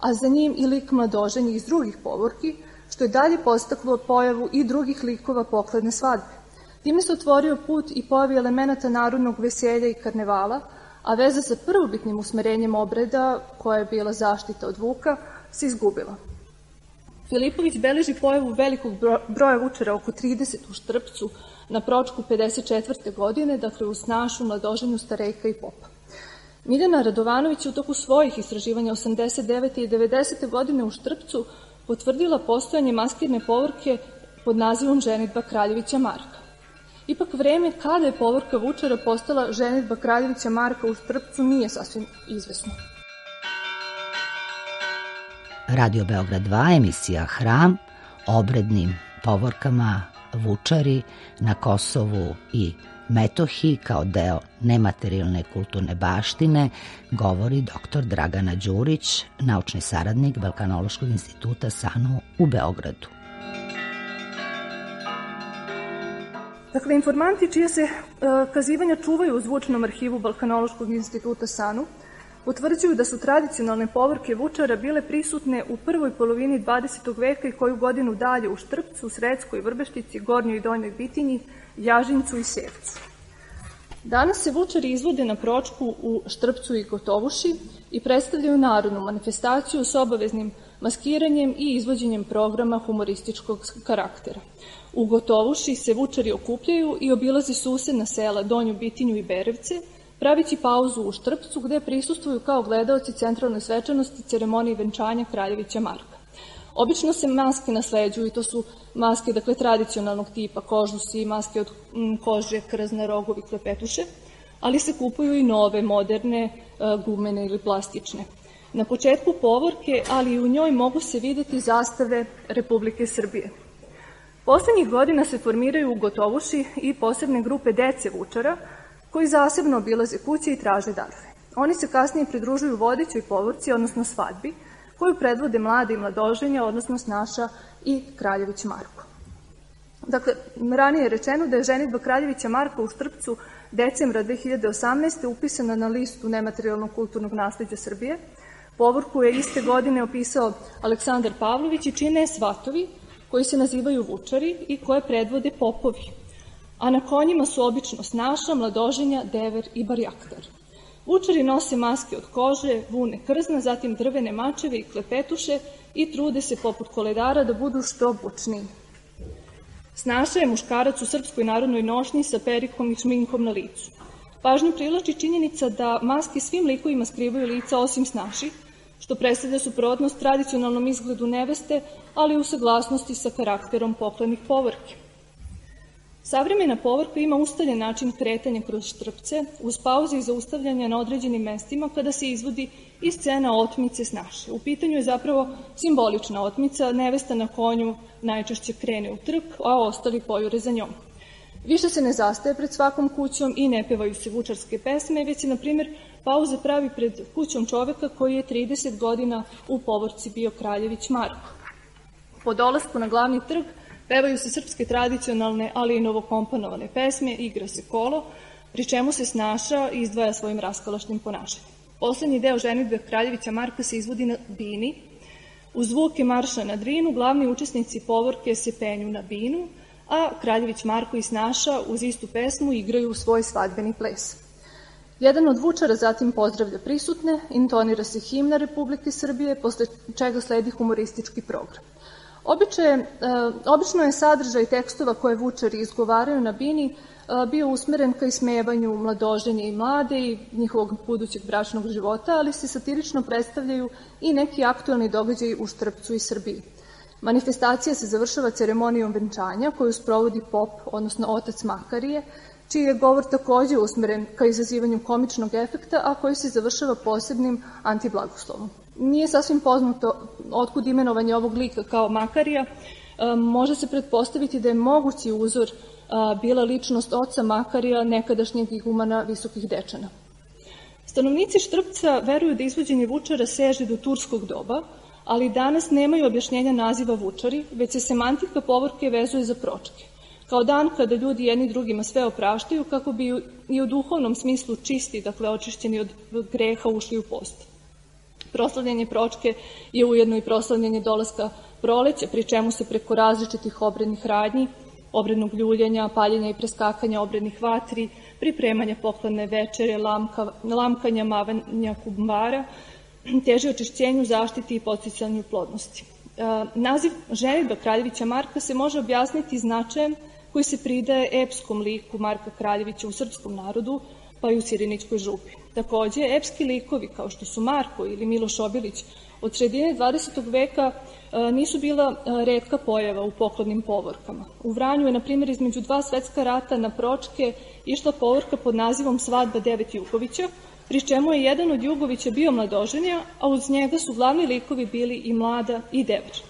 S7: a za njim i lik mladoženja iz drugih povorki, što je dalje postaklo pojavu i drugih likova pokladne svadbe. Time se otvorio put i pojavi elemenata narodnog veselja i karnevala, a veza sa prvobitnim usmerenjem obreda, koja je bila zaštita od Vuka, se izgubila. Filipović beleži pojavu velikog broja Vučara, oko trideset u Štrpcu, na Pročku pedeset četvrte godine, dakle uz snašu, mladoženju, starejka i popa. Miljana Radovanović je u toku svojih istraživanja osamdeset devete i devedesete godine u Štrpcu potvrdila postojanje maskirne povorke pod nazivom ženidba Kraljevića Marka. Ipak vreme kada je povorka Vučara postala ženidba Kraljevića Marka u Štrpcu nije sasvim izvesno.
S1: Radio Beograd dva, emisija Hram, obrednim povorkama Vučari na Kosovu i Metohiji kao deo nematerijalne kulturne baštine, govori doktor Dragana Đurić, naučni saradnik Balkanološkog instituta SANU u Beogradu.
S7: Dakle, informanti čije se uh, kazivanja čuvaju u zvučnom arhivu Balkanološkog instituta SANU utvrđuju da su tradicionalne povorke Vučara bile prisutne u prvoj polovini dvadesetog veka i koju godinu dalje u Štrpcu, Sredskoj, Vrbeštici, Gornjoj i Donjoj Bitinji, Jažincu i Sevcu. Danas se Vučari izvode na Pročku u Štrpcu i Gotovuši i predstavljaju narodnu manifestaciju s obaveznim maskiranjem i izvođenjem programa humorističkog karaktera. U Gotovuši se Vučari okupljaju i obilaze susedna sela Donju Bitinju i Berevce, pravići pauzu u Štrpcu gde prisustvuju kao gledaoci centralne svečanosti ceremonije venčanja Kraljevića Marka. Obično se maske nasleđuju i to su maske, dakle, tradicionalnog tipa, kožusi, maske od kože, krzna, rogovi, klepetuše, ali se kupuju i nove, moderne, gumene ili plastične. Na početku povorke, ali i u njoj mogu se videti zastave Republike Srbije. Poslednjih godina se formiraju u Gotovuši i posebne grupe dece Vučara, koji zasebno obilaze kuće i traže darove. Oni se kasnije pridružuju vodećoj povorci, odnosno svadbi, koju predvode mlade i mladoženja, odnosno snaša i Kraljević Marko. Dakle, ranije je rečeno da je ženidba Kraljevića Marka u Štrpcu decembra dve hiljade osamnaeste. upisana na listu nematerijalnog kulturnog nasleđa Srbije, Povorku je iste godine opisao Aleksandar Pavlović i čine svatovi koji se nazivaju vučari i koje predvode popovi. A na konjima su obično snaša, mladoženja, dever i barjaktar. Vučari nose maske od kože, vune krzna, zatim drvene mačeve i klepetuše i trude se poput koledara da budu što bučniji. Snaša je muškarac u srpskoj narodnoj nošnji sa perikom i šminkom na licu. Pažnju privlači činjenica da maske svim likovima skrivaju lica osim snaši, što predstavlja suprotnost tradicionalnom izgledu neveste, ali u saglasnosti sa karakterom pokojnih povorki. Savremena povorka ima ustaljen način kretanja kroz štrpce, uz pauze i zaustavljanja na određenim mestima kada se izvodi i scena otmice snaše. U pitanju je zapravo simbolična otmica, nevesta na konju najčešće krene u trk, a ostali pojure za njom. Više se ne zastaje pred svakom kućom i ne pevaju se vučarske pesme, već se, na primjer, pauze pravi pred kućom čoveka koji je trideset godina u povorci bio Kraljević Marko. Po dolasku na glavni trg pevaju se srpske tradicionalne, ali i novokomponovane pesme, igra se kolo, pri čemu se snaša i izdvaja svojim raskalašnim ponašanjem. Poslednji deo ženidbe Kraljevića Marka se izvodi na bini. Uz zvuke marša na Drinu glavni učesnici povorke se penju na binu, a Kraljević Marko i snaša uz istu pesmu igraju svoj svadbeni ples. Jedan od vučara zatim pozdravlja prisutne, intonira se himna Republike Srbije, posle čega sledi humoristički program. Običaj, obično je sadržaj tekstova koje vučari izgovaraju na bini bio usmeren ka ismevanju mladoženja i mlade i njihovog budućeg bračnog života, ali se satirično predstavljaju i neki aktuelni događaji u Štrpcu i Srbiji. Manifestacija se završava ceremonijom venčanja koju sprovodi pop, odnosno otac Makarije, čiji je govor takođe usmeren ka izazivanju komičnog efekta, a koji se završava posebnim antiblagoslovom. Nije sasvim poznato otkud imenovanje ovog lika kao Makarija. Može se pretpostaviti da je mogući uzor bila ličnost oca Makarija, nekadašnjeg igumana Visokih Dečana. Stanovnici Štrpca veruju da izvođenje vučara seže do turskog doba, ali danas nemaju objašnjenja naziva vučari, već se semantika povorke vezuje za pročke, kao dan kada ljudi jedni drugima sve opraštaju kako bi i u duhovnom smislu čisti, dakle očišćeni od greha, ušli u post. Proslavljanje pročke je ujedno i proslavljanje dolaska proleća, pri čemu se preko različitih obrednih radnji, obrednog ljuljenja, paljenja i preskakanja obrednih vatri, pripremanja poklone večere, lamka, lamkanja, mavanja kumbara, teži očišćenju, zaštiti i podsticanju plodnosti. Naziv ženidba Kraljevića Marka se može objasniti značajem koji se pridaje epskom liku Marka Kraljevića u srpskom narodu, pa i u Sirinićkoj župi. Takođe, epski likovi kao što su Marko ili Miloš Obilić od sredine dvadesetog veka nisu bila retka pojava u poklonnim povorkama. U Vranju je, na primjer, između dva svetska rata na pročke išla povorka pod nazivom Svadba devet Jugovića, pri čemu je jedan od Jugovića bio mladoženja, a uz njega su glavni likovi bili i mlada i dever.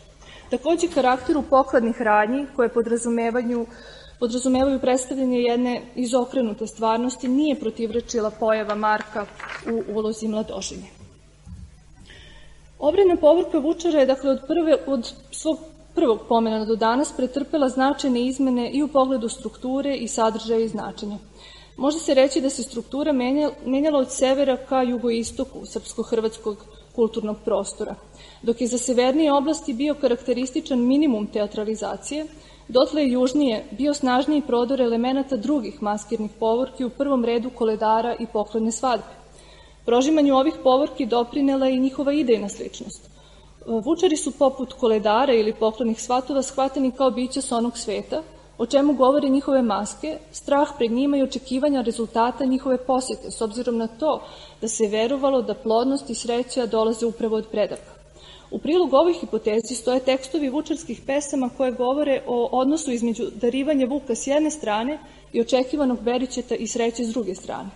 S7: Takođe, karakteru pokladnih radnji koje podrazumevaju podrazumevaju predstavljanje jedne izokrenute stvarnosti, nije protivrečila pojava Marka u ulozi mladoženja. Obredna povorka vučara je, dakle, od, prve, od svog prvog pomena do danas pretrpela značajne izmene i u pogledu strukture i sadržaja i značenja. Može se reći da se struktura menjala od severa ka jugoistoku srpsko-hrvatskog kulturnog prostora. Dok je za severnije oblasti bio karakterističan minimum teatralizacije, dotle je južnije bio snažniji prodor elemenata drugih maskirnih povorki, u prvom redu koledara i poklone svadbe. Prožimanju ovih povorki doprinela i njihova idejna sličnost. Vučari su poput koledara ili poklonih svatova shvatani kao bića s onog sveta, o čemu govore njihove maske, strah pred njima i očekivanja rezultata njihove posete, s obzirom na to da se verovalo da plodnost i sreća dolaze upravo od predaka. U prilog ovoj hipotezi stoje tekstovi vučarskih pesama koje govore o odnosu između darivanja vuka s jedne strane i očekivanog beričeta i sreće s druge strane.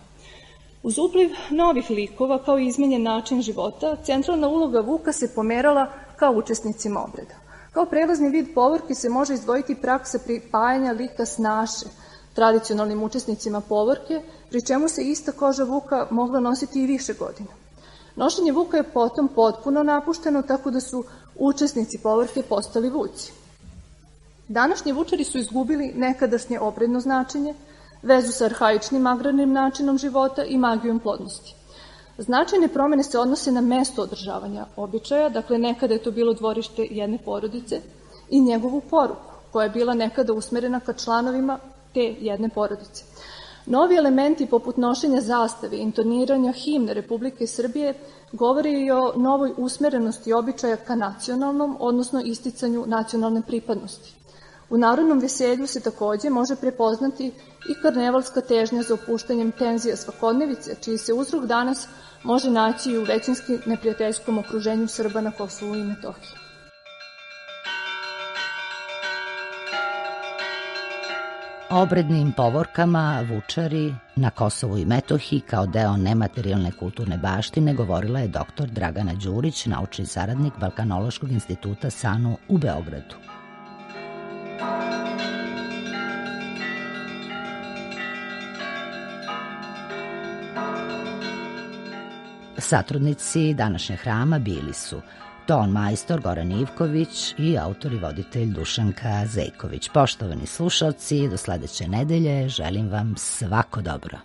S7: Uz upliv novih likova, kao i izmenjen način života, centralna uloga vuka se pomerala kao učesnicima obreda. Kao prelazni vid povorke se može izdvojiti praksa pripajanja lika snaše tradicionalnim učesnicima povorke, pri čemu se ista koža vuka mogla nositi i više godina. Nošenje vuka je potom potpuno napušteno, tako da su učesnici povorke postali vuci. Današnji vučari su izgubili nekadašnje obredno značenje, vezu sa arhaičnim agrarnim načinom života i magijom plodnosti. Značajne promene se odnose na mesto održavanja običaja, dakle nekada je to bilo dvorište jedne porodice, i njegovu poruku, koja je bila nekada usmerena ka članovima te jedne porodice. Novi elementi poput nošenja zastave i intoniranja himne Republike Srbije govore i o novoj usmerenosti običaja ka nacionalnom, odnosno isticanju nacionalne pripadnosti. U narodnom veselju se takođe može prepoznati i karnevalska težnja za opuštanjem tenzija svakodnevice, čiji se uzrok danas može naći i u većinski neprijateljskom okruženju Srba na Kosovu i Metohiji.
S1: O obrednim povorkama Vučari na Kosovu i Metohiji kao deo nematerijalne kulturne baštine govorila je doktor Dragana Đurić, naučni saradnik Balkanološkog instituta SANU u Beogradu. Satrudnici današnjeg hrama bili su ton majstor Goran Ivković i autor i voditelj Dušanka Zejković. Poštovani slušalci, do sledeće nedelje želim vam svako dobro.